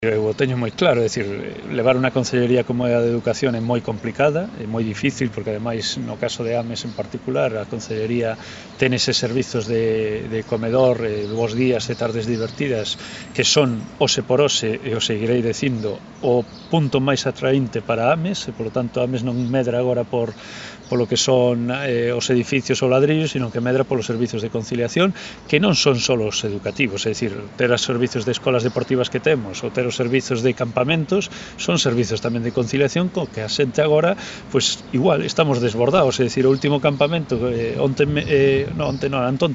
Eu o teño moi claro, é dicir, levar unha consellería como é a de Educación é moi complicada, é moi difícil, porque ademais no caso de Ames en particular, a consellería ten eses servizos de comedor, bos días e tardes divertidas, que son, ose por ose, e o seguirei dicindo, o punto máis atraínte para Ames, e polo tanto Ames non medra agora polo que son os edificios ou ladrillos, sino que medra polos servizos de conciliación, que non son só os educativos, é dicir, ter os servizos de escolas deportivas que temos, ou ter os servizos de campamentos, son servizos tamén de conciliación co que a xente agora, pois igual, estamos desbordados, é dicir, o último campamento, antonte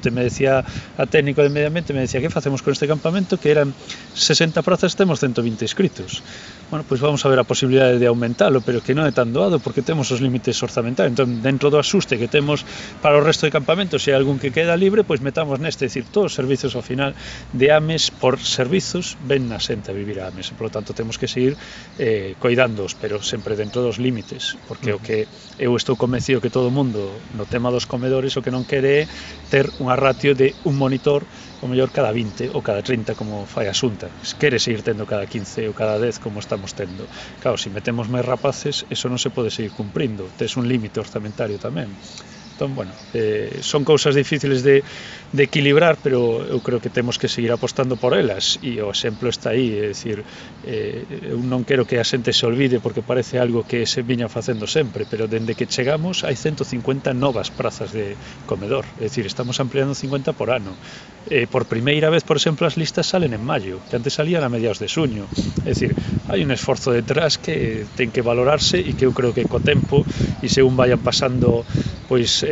me decía a técnico de medio ambiente, me decía, que facemos con este campamento, que eran 60 prazas, temos 120 inscritos. Bueno, pois vamos a ver a posibilidade de aumentalo, pero que non é tan doado, porque temos os límites orzamentarios. Entón, dentro do asuste que temos para o resto de campamentos, se hai algún que queda libre, pois metamos neste, é dicir, todos os servizos ao final de Ames, por servizos, ven na xente a vivir a Ames, e, polo tanto, temos que seguir coidándoos, pero sempre dentro dos límites, porque o que eu estou convencido que todo o mundo, no tema dos comedores, o que non quere é ter unha ratio de un monitor, o mellor cada 20 ou cada 30 como fai a Xunta, quere seguir tendo cada 15 ou cada 10 como estamos tendo. Claro, se metemos máis rapaces, eso non se pode seguir cumprindo, tes un límite orzamentario tamén. Entón, bueno, son cousas difíciles de equilibrar, pero eu creo que temos que seguir apostando por elas, e o exemplo está aí, é dicir, eu non quero que a xente se olvide porque parece algo que se viña facendo sempre, pero dende que chegamos hai 150 novas prazas de comedor, é dicir, estamos ampliando 50 por ano. Por primeira vez, por exemplo, as listas salen en maio, que antes salían a mediados de xuño, é dicir, hai un esforzo detrás que ten que valorarse e que eu creo que co tempo, e según vayan pasando pois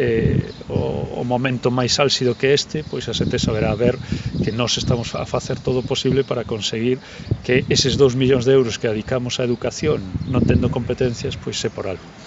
o momento máis álxido que este, pois a xente saberá ver que nós estamos a facer todo o posible para conseguir que eses 2 millóns de euros que dedicamos á educación non tendo competencias, pois se por algo.